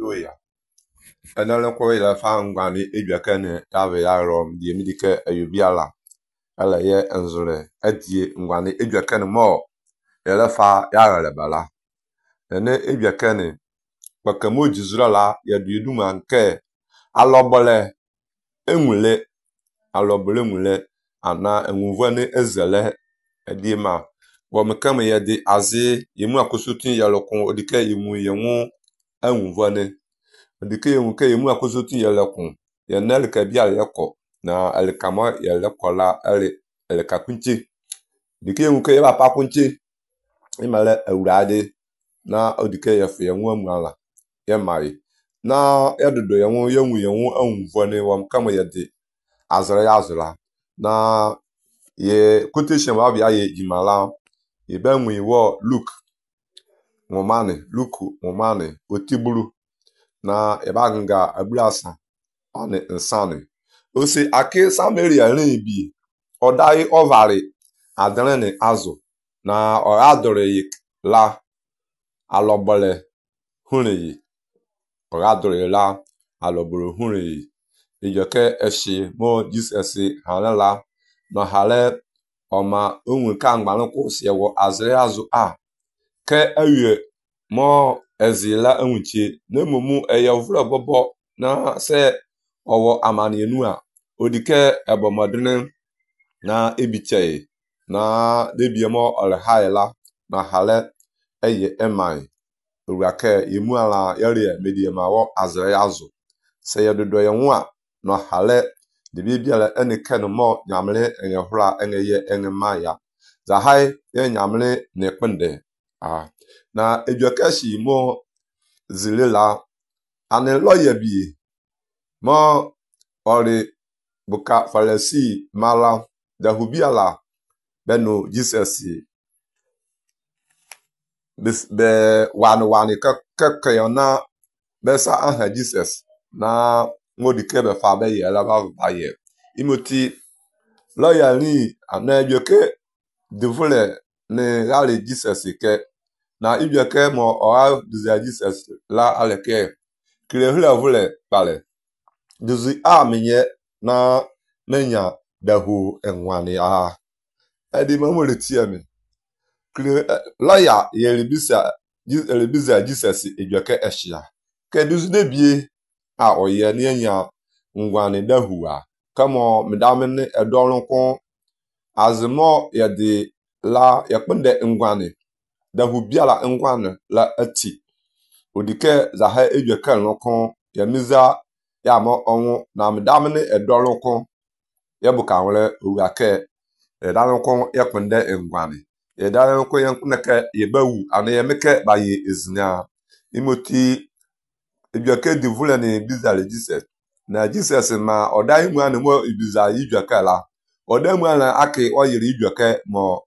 Hallelujah. Enele kwa ile fa ngwani edwaka ne yawe yarom die midike ayubiala. Ala ye enzure adie ngwani edwaka ne mo ele fa yarele bala. Ene edwaka ne bakamo jizura la ya duedu manke alobole enwule nwule ana enwuvane ezele edima wo mekame ye di azi yemu akosutin yalokon odike yemu yemu enwuvane odike yemu ke yemu akosutin yalokon yenel ka bia yeko na elikamo yelekola elikakunche dike yemu ke ba pakunche imale awurade na odike yefe yemu amuala yemari na yadodo yemu yemu enwuvane wo mekame ye di azra yazula na ye quotation wa bia ye jimala ye benwe wo Luke ngomane otiburu na ebanga abulasa ane insane osi ake Samaria rin odai ovari adrene azu na o adore la alobole hunyi o adore la aloboro hunyi ijoke eshi mo Jesus halala na hale oma onwe ka ngbalụ kwụsị ewo azre azụ a ke ewie mo ezila enwuchi na emumu eyevro bobo na se owo amani enu a odike ebomodene na ebiche na debiemo olhaila na hale eye emai urake yemu ala yare mediemawo azre azụ se yedodo yenwa na hale de bibiala ene ken mo nyamle enye hura enye ye enye maya za hai ye nyamle ne kpende na edukashi mo zilela ane lawyer bi mo ori buka falasi mala da hubiala beno Jesus be wani ka yona besa aha Jesus na ngodike be fa be ye la ba ye imoti lawyer ni anajoke devule ne rale Jesus ke na ijoke mo o diza Jesus la aleke kire vule pale duzi menye na menya dahu enwani edi mamole tiame kire lawyer ye lebisa Jesus ijoke eshia ke duzi debie oye ni enya ngwani dahu kamo medamene edolonko azmo yedi la yakpende ngwane dahu biala ngwane la ati odike za ha ejweka lonko yamiza ya mo onwu na medamene edolonko yebuka nwere owake edalonko yakpende ngwane edalonko yankuneke yebawu ane yemeke ba ye ezina imoti ejweke divule ni bizale Jesus na Jesus ma odai mu ane mo ibiza ijweka la odemu ala ake oyiri ijweke mo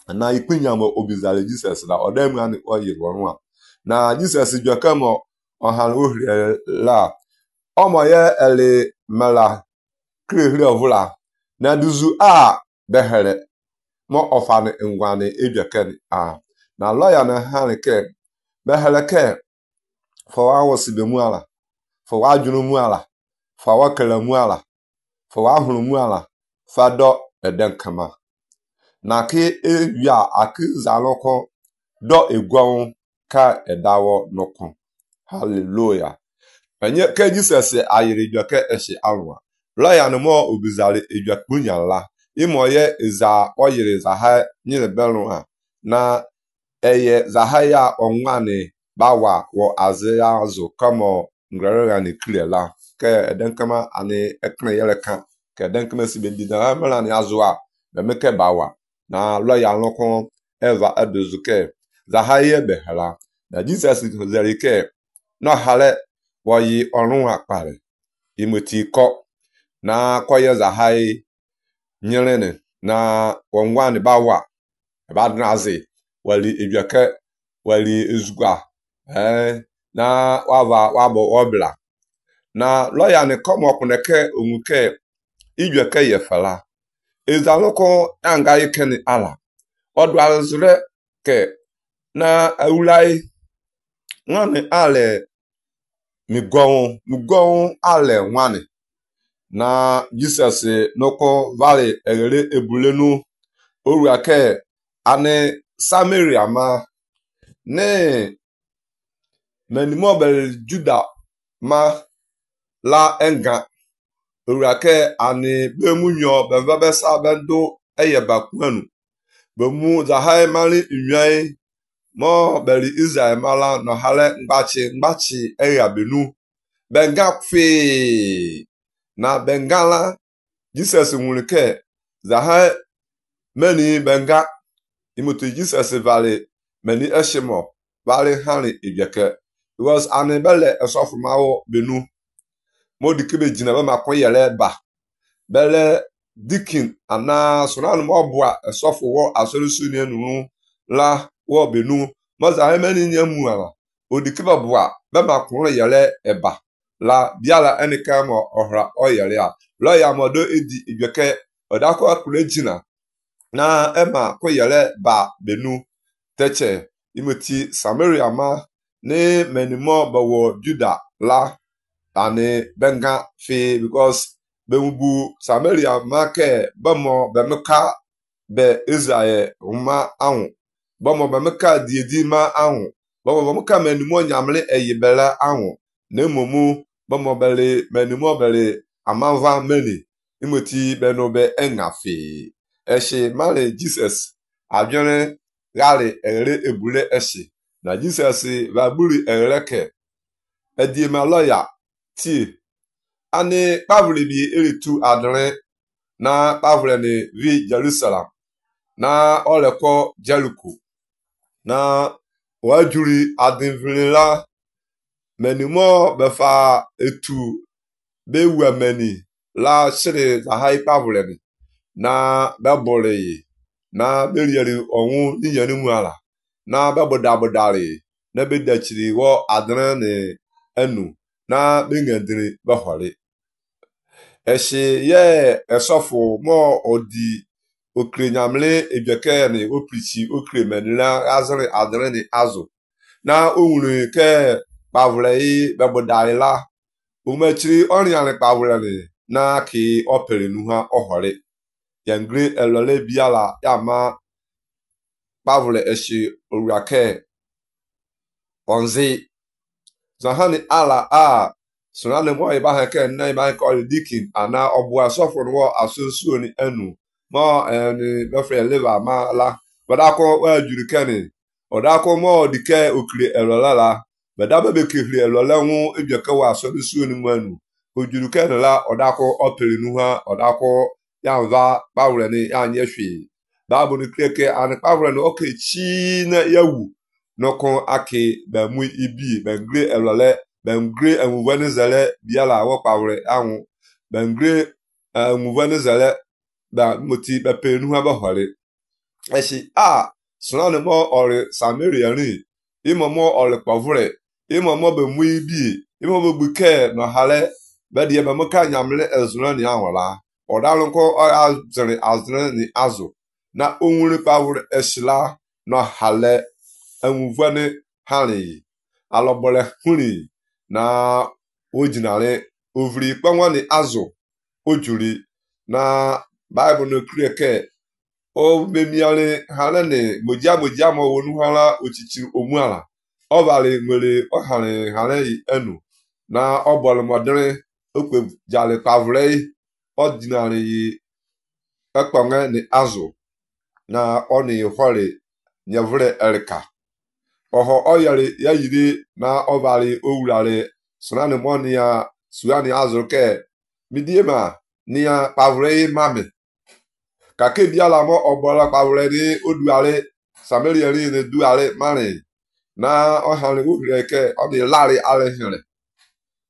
na ipinya mo obizale Jesus la odemu ane oyiri wonwa na Jesus ijweke mo ohan ohire la omo ye ele mala krehire ovula na duzu behere mo ofane ngwane ijweke na lawyer na hanike behere ke for awosibe mu ala for wajunu mu ala for wakala mu ala for wahunu mu ala fado edenkama na ke ewia akizaloko do egwon ka edawo noko hallelujah enye ke Jesus ayiri joke eshi anwa lawyer no mo obizale ejwakpunya la imoye iza oyiri za ha nyile belu na eye za ha ya onwane bawa wo azia azu kama ngrere ni kliela ke edenkama ani ekne yeleka ke denkeme si bendida mala ni azua be meke bawa na lawyer lokon eva adozuke za haye behala na Jesus zerike no hale woyi orun apare imoti ko na koye za haye nyelene na wonwani bawa badnazi wali ejwake wali ezugwa na wabo obla na lawyer ni komo okuneke onwuke ijweke yefala ezaloko anga ikeni ala odwalzure ke na awulai ngane ale migon ale nwane na Jesus noko vale egere ebulenu oruake ane Samaria ma ne menimo bel Juda ma la enga oruake ane bemunyo bevebesa bendo eyebakwanu bemu zahai mali nywai mo beli Israel mala no hale ngbachi eyabenu benga kwe na bengala Jesus nwurike zahai meni benga imutu Jesus vale meni eshimo vale hani ibyeke because ane bele esofumawo benu modikebe jina be makon yele ba bele dikin ana sonan mo boa esofu wo asolusu ni enu la wo benu mo zahai meni nyemu ala odikebe boa be makon yele eba la biala enika mo ohra oyele a lo ya modo edi ibyeke odako akure jina na ema koyele ba benu teche imoti Samaria ma ne menimo bawo Juda la ane benga fe because bemubu Samaria ma ke bamo bemuka be Israel ma ahụ bamo bemuka diedi ma ahụ bamo bemuka menimo nyamle eyibela ahụ ne momu bamo bele menimo bele amanva meli imoti benobe engafe eshi male Jesus abione gale ere ebule eshi na Jesus va buri ereke edi ma lawyer ti ani pavle bi eritu adre na pavle ni vi Jerusalem na oleko Jericho na wajuri adinvila menimo befa etu bewa meni la shiri za hai pavle ni na bebole na berieri onwu niyeni muala na bebodabodari na bedachiri wo adre ni enu na bengendiri behori eshi ye esofu mo odi okrenyamle ebyeke ni oprichi okre menila azri adre ni azu na onwure ke pavle bebodari la umechiri oriani pavle ni na ki opere nuha ohori yengre elole biala yama pavle eshi oruake onzi zahani ala a sunane mo iba heke na iba ko dikin ana obu asofo no asusu ni enu mo ni befre liver ma la badako wa juru keni odako mo dike okire elola la badaba be kire elola hu ebyeke wa asusu ni manu ojuru keni la odako opere nuha odako yanva pavle ni anye hwe babu ni kreke an pavle no okay chi na yawu noko aki ba mu ibi bengre elole bengre enwuvene zele biala wo pavle ahụ bengre enwuvene zele ba moti ba penu ha ba hore eshi sunane mo ore Samaria ni imomo ore pavle imomo be mu ibi imomo buke no hale ba die ba muka nyamle ezunani ahụla odalunko azre ni azu na onwure pavle eshila no hale enwuvene hani alobole huni na ojinare ovri kwanwani azu ojuri na bible no krieke o bemiale hanane moja mo wonu hala ochichi omuala o vale nwere o hare enu na obole modere okpe jale pavle ordinary ekwanwe ni azu na oni hore nyevre erika oho oyari ya yiri na ovali owurare sunani monia suani azuke midiema nia pavre mame kake biala mo obola pavre ni oduare Samaria ni duare mane na ohale ureke odi lari ale here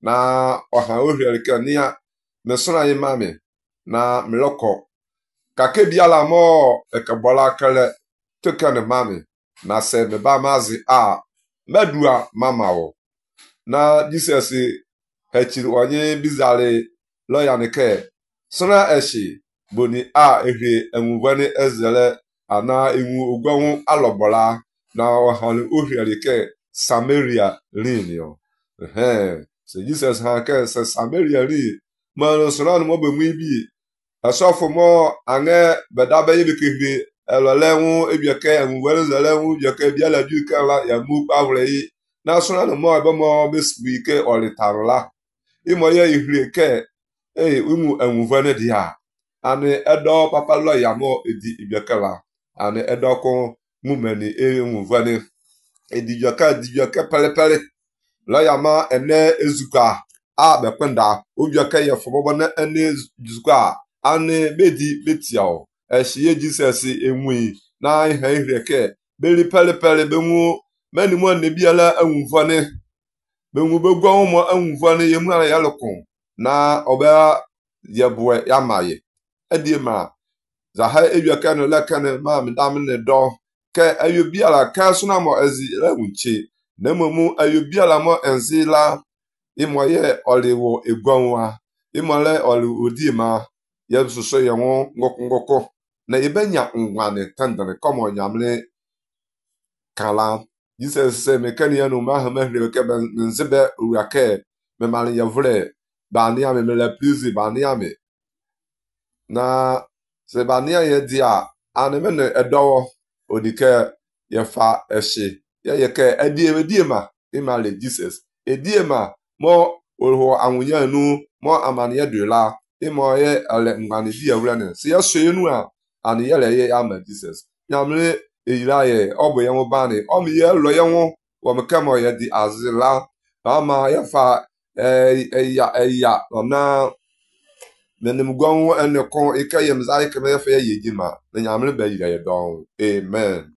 na oha ureke nia mesuna yi mame na mloko kake biala mo ekebola kele tekane mame na se me ba mazi medua mamawo na Jesus hechiri onye bizare lawyer nike sona eshi boni ehre enwuvani ezele ana enwu ogwanwu alogbola na ohani ohriarike Samaria linio se Jesus han ke se Samaria ri man so na no be mu bi asofo mo ange beda be ye kekere elole ebieke enwere zele bieke bia la du kala ya mu pavre yi na so na mo be mo be spike olitarla imo ye ihre ke umu enwuvene dia ane edo papa lo ya mo edi ibiekela ane edo ko mumeni enwuvene edijoka pele lo ya ma ene ezuka a be kwenda obieke ye fobo na ene ezuka ane bedi betiao ehie Jesus enwi na ihe ihre beri pele benwu meni mo ne biala enwuvene benwu begwa mo enwuvene yemu ala yalokon na oba yebwe yamaye edima za ha ebiaka no lekane ma midam ne do ke ayobiala ka so na mo ezi lawunche na momu ayobiala mo enzila imoye oliwo egwanwa imole oli odima yesuso yenwo ngokongoko na ibenya ngwane tandere komo nyamle kala Jesus se mekani ya no ma ha mahre ke nzebe uake me mali yevre bani ame me la plus bani ame na se bani ye dia aneme ne edo odike ye fa eshi ye ke ediema imale Jesus ediema mo oho awunya nu mo amane de la imo ye ale ngane bi awura ne se ye so enu a ane ye le ye ama Jesus nyamle eyira ye obo ye mo bani o mi ye lo ye wo wo me kamo ye di azila ama ye fa eya ona menim gwan ene kon ikayem zai keme ye fa ye yima na nyamle ba yira ye don amen.